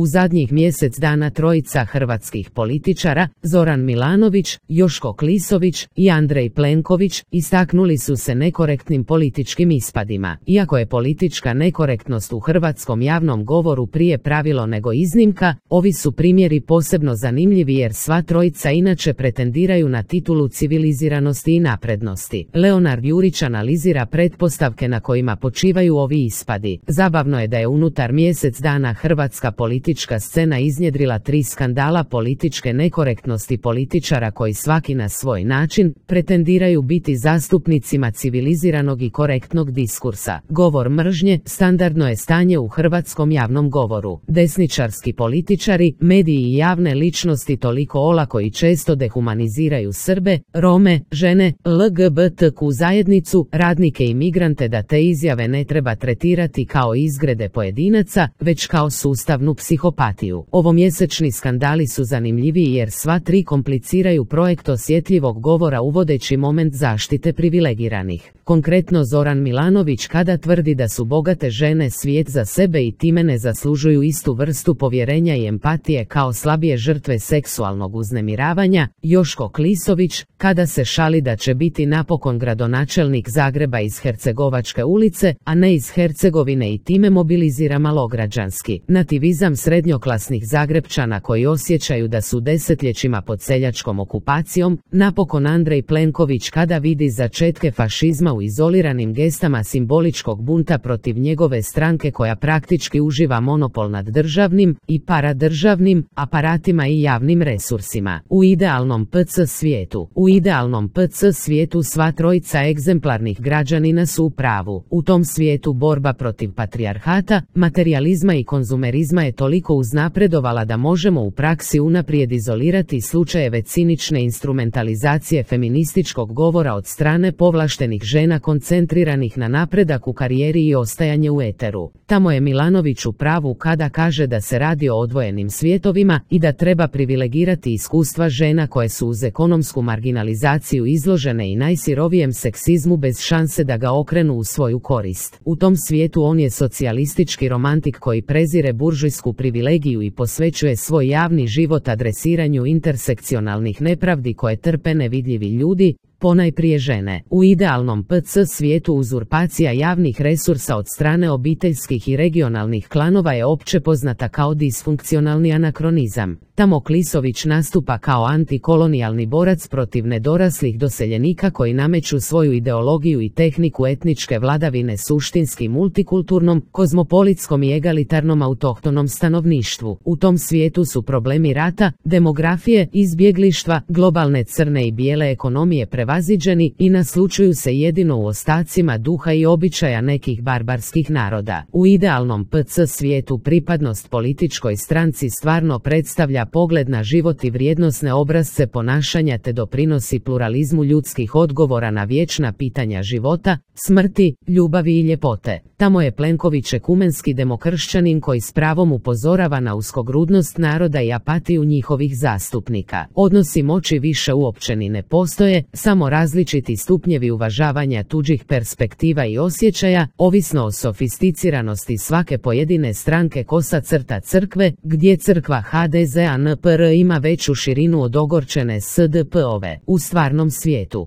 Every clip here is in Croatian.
U zadnjih mjesec dana trojica hrvatskih političara, Zoran Milanović, Joško Klisović i Andrej Plenković, istaknuli su se nekorektnim političkim ispadima. Iako je politička nekorektnost u hrvatskom javnom govoru prije pravilo nego iznimka, ovi su primjeri posebno zanimljivi jer sva trojica inače pretendiraju na titulu civiliziranosti i naprednosti. Leonard Jurić analizira pretpostavke na kojima počivaju ovi ispadi. Zabavno je da je unutar mjesec dana hrvatska politička scena iznjedrila 3 skandala političke nekorektnosti političara koji svaki na svoj način pretendiraju biti zastupnicima civiliziranog i korektnog diskursa. Govor mržnje standardno je stanje u hrvatskom javnom govoru. Desničarski političari, mediji i javne ličnosti toliko olako i često dehumaniziraju Srbe, Rome, žene, LGBTQ zajednicu, radnike i migrante da te izjave ne treba tretirati kao izgrede pojedinaca, već kao sustavnu psihopatiju. Ovomjesečni skandali su zanimljiviji jer sva 3 kompliciraju projekt osjetljivog govora uvodeći moment zaštite privilegiranih. Konkretno Zoran Milanović kada tvrdi da su bogate žene svijet za sebe i time ne zaslužuju istu vrstu povjerenja i empatije kao slabije žrtve seksualnog uznemiravanja, Joško Klisović kada se šali da će biti napokon gradonačelnik Zagreba iz Hercegovačke ulice, a ne iz Hercegovine i time mobilizira malograđanski nativizam srednjoklasnih Zagrepčana koji osjećaju da su desetljećima pod seljačkom okupacijom, napokon Andrej Plenković kada vidi začetke fašizma u izoliranim gestama simboličkog bunta protiv njegove stranke koja praktički uživa monopol nad državnim i paradržavnim aparatima i javnim resursima. U idealnom PC svijetu sva trojica egzemplarnih građanina su u pravu. U tom svijetu borba protiv patrijarhata, materijalizma i konzumerizma je toliko uznapredovala da možemo u praksi unaprijed izolirati slučajeve cinične instrumentalizacije feminističkog govora od strane povlaštenih žena koncentriranih na napredak u karijeri i ostajanje u eteru. Tamo je Milanović u pravu kada kaže da se radi o odvojenim svijetovima i da treba privilegirati iskustva žena koje su uz ekonomsku marginalizaciju izložene i najsirovijem seksizmu bez šanse da ga okrenu u svoju korist. U tom svijetu on je socijalistički romantik koji prezire buržujsku privilegiju i posvećuje svoj javni život adresiranju intersekcionalnih nepravdi koje trpe nevidljivi ljudi, ponajprije žene. U idealnom PC svijetu uzurpacija javnih resursa od strane obiteljskih i regionalnih klanova je opće poznata kao disfunkcionalni anakronizam. Tamo Klisović nastupa kao antikolonijalni borac protiv nedoraslih doseljenika koji nameću svoju ideologiju i tehniku etničke vladavine suštinski multikulturnom, kozmopolitskom i egalitarnom autohtonom stanovništvu. U tom svijetu su problemi rata, demografije, izbjeglištva, globalne crne i bijele ekonomije prevaziđeni i naslučuju se jedino u ostacima duha i običaja nekih barbarskih naroda. U idealnom PC svijetu pripadnost političkoj stranci stvarno predstavlja pogled na život i vrijednosne obrasce ponašanja te doprinosi pluralizmu ljudskih odgovora na vječna pitanja života, smrti, ljubavi i ljepote. Tamo je Plenković ekumenski demokršćanin koji s pravom upozorava na uskogrudnost naroda i apatiju njihovih zastupnika. Odnosi moći više uopće ni ne postoje, samo različiti stupnjevi uvažavanja tuđih perspektiva i osjećaja, ovisno o sofisticiranosti svake pojedine stranke kosa crta crkve, gdje crkva HDZ-a NPR ima veću širinu od ogorčene SDP-ove.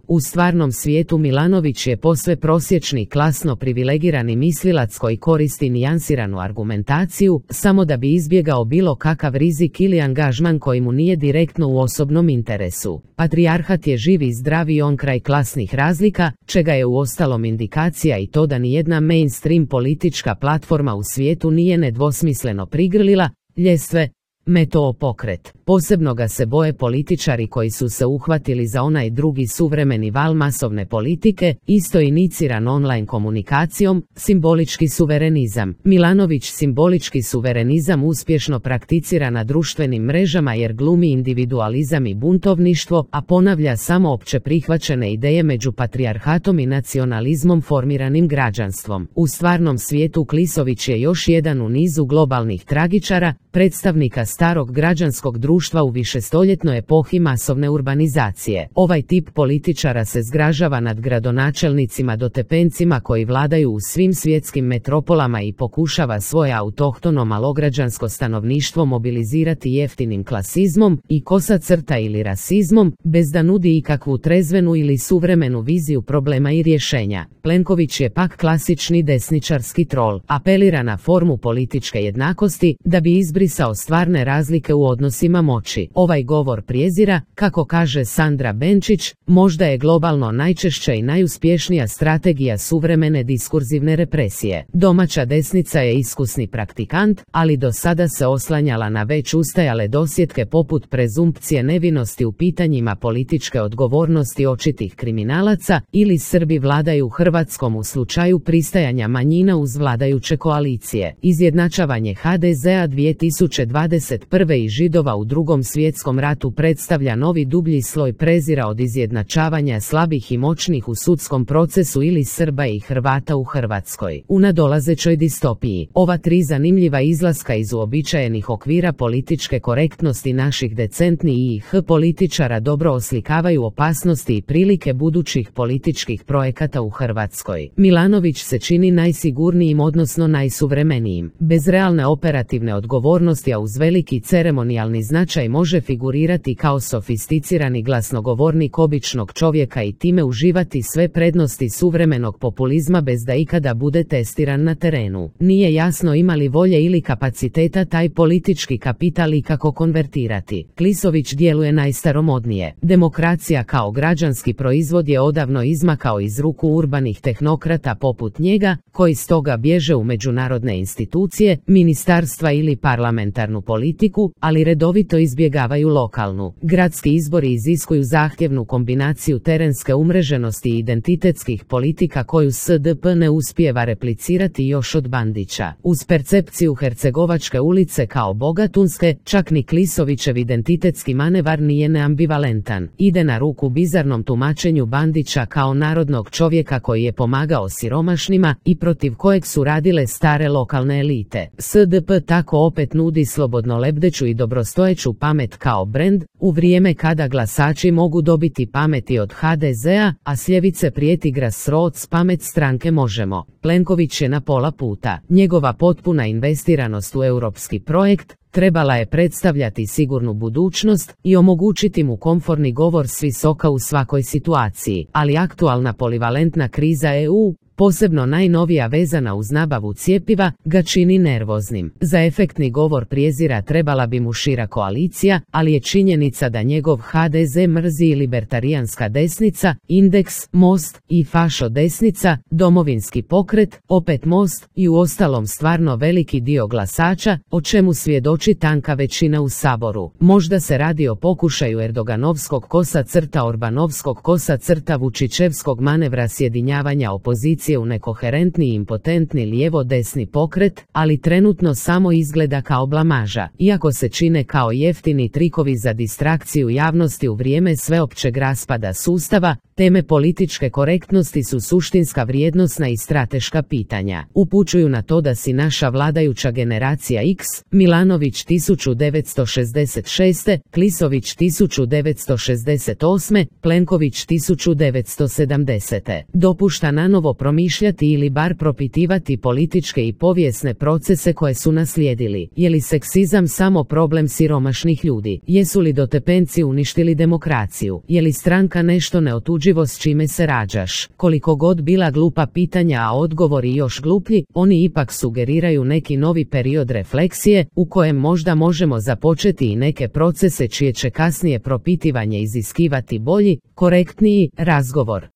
U stvarnom svijetu Milanović je posve prosječni klasno privilegirani mislilac koji koristi nijansiranu argumentaciju, samo da bi izbjegao bilo kakav rizik ili angažman koji mu nije direktno u osobnom interesu. Patrijarhat je živ i zdrav i on kraj klasnih razlika, čega je uostalom indikacija i to da nijedna mainstream politička platforma u svijetu nije nedvosmisleno prigrlila ljestve Metoo pokret. Posebno ga se boje političari koji su se uhvatili za onaj drugi suvremeni val masovne politike, isto iniciran online komunikacijom, simbolički suverenizam. Milanović simbolički suverenizam uspješno prakticira na društvenim mrežama jer glumi individualizam i buntovništvo, a ponavlja samo opće prihvaćene ideje među patrijarhatom i nacionalizmom formiranim građanstvom. U stvarnom svijetu Klisović je još jedan u nizu globalnih tragičara, predstavnika starog građanskog društva društva u višestoljetnoj epohi masovne urbanizacije. Ovaj tip političara se zgražava nad gradonačelnicima dotepencima koji vladaju u svim svjetskim metropolama i pokušava svoje autohtono malograđansko stanovništvo mobilizirati jeftinim klasizmom i kosa crta ili rasizmom, bez da nudi ikakvu trezvenu ili suvremenu viziju problema i rješenja. Plenković je pak klasični desničarski trol, apelira na formu političke jednakosti da bi izbrisao stvarne razlike u odnosima moći. Ovaj govor prijezira, kako kaže Sandra Benčić, možda je globalno najčešća i najuspješnija strategija suvremene diskurzivne represije. Domaća desnica je iskusni praktikant, ali do sada se oslanjala na već ustajale dosjetke poput prezumpcije nevinosti u pitanjima političke odgovornosti očitih kriminalaca ili Srbi vladaju Hrvatskom u slučaju pristajanja manjina uz vladajuće koalicije. Izjednačavanje HDZ-a 2021. i Židova u Drugom svjetskom ratu predstavlja novi dublji sloj prezira od izjednačavanja slabih i moćnih u sudskom procesu ili Srba i Hrvata u Hrvatskoj. U nadolazećoj distopiji, ova tri zanimljiva izlaska iz uobičajenih okvira političke korektnosti naših decentnih političara dobro oslikavaju opasnosti i prilike budućih političkih projekata u Hrvatskoj. Milanović se čini najsigurnijim odnosno najsuvremenijim. Bez realne operativne odgovornosti, a uz veliki ceremonijalni značaj može figurirati kao sofisticirani glasnogovornik običnog čovjeka i time uživati sve prednosti suvremenog populizma bez da ikada bude testiran na terenu. Nije jasno ima li volje ili kapaciteta taj politički kapital ikako konvertirati. Klisović djeluje najstaromodnije. Demokracija kao građanski proizvod je odavno izmakao iz ruku urbanih tehnokrata poput njega, koji stoga bježe u međunarodne institucije, ministarstva ili parlamentarnu politiku, ali redovito izbjegavaju lokalnu. Gradski izbori iziskuju zahtjevnu kombinaciju terenske umreženosti i identitetskih politika koju SDP ne uspijeva replicirati još od Bandića. Uz percepciju Hercegovačke ulice kao bogatunske, čak ni Klisovićev identitetski manevar nije neambivalentan. Ide na ruku bizarnom tumačenju Bandića kao narodnog čovjeka koji je pomagao siromašnima i protiv kojeg su radile stare lokalne elite. SDP tako opet nudi slobodno lebdeću i dobrostojeću pamet kao brend, u vrijeme kada glasači mogu dobiti pameti od HDZ-a, a s ljevice prijeti grassroots pamet stranke Možemo. Plenković je na pola puta. Njegova potpuna investiranost u europski projekt trebala je predstavljati sigurnu budućnost i omogućiti mu komforni govor s visoka u svakoj situaciji, ali aktualna polivalentna kriza EU, posebno najnovija vezana uz nabavu cjepiva, ga čini nervoznim. Za efektni govor prijezira trebala bi mu šira koalicija, ali je činjenica da njegov HDZ mrzi i libertarijanska desnica, Indeks, Most i fašo desnica, Domovinski pokret, opet Most i uostalom stvarno veliki dio glasača, o čemu svjedoči tanka većina u Saboru. Možda se radi o pokušaju Erdoganovskog kosa crta Orbanovskog kosa crta Vučićevskog manevra sjedinjavanja opozicije u nekoherentni i impotentni lijevo-desni pokret, ali trenutno samo izgleda kao blamaža. Iako se čine kao jeftini trikovi za distrakciju javnosti u vrijeme sveopćeg raspada sustava, teme političke korektnosti su suštinska vrijednosna i strateška pitanja. Upućuju na to da si naša vladajuća generacija X, Milanović 1966, Klisović 1968, Plenković 1970. dopušta nanovo promišljati ili bar propitivati političke i povijesne procese koje su naslijedili. Je li seksizam samo problem siromašnih ljudi? Jesu li dotepenci uništili demokraciju? Je li stranka nešto neotuđivo s čime se rađaš? Koliko god bila glupa pitanja, a odgovori još gluplji, oni ipak sugeriraju neki novi period refleksije, u kojem možda možemo započeti i neke procese čije će kasnije propitivanje iziskivati bolji, korektniji razgovor.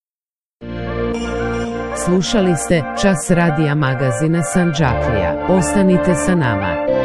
Slušali ste Čas radija magazina Sandžaklija. Ostanite sa nama.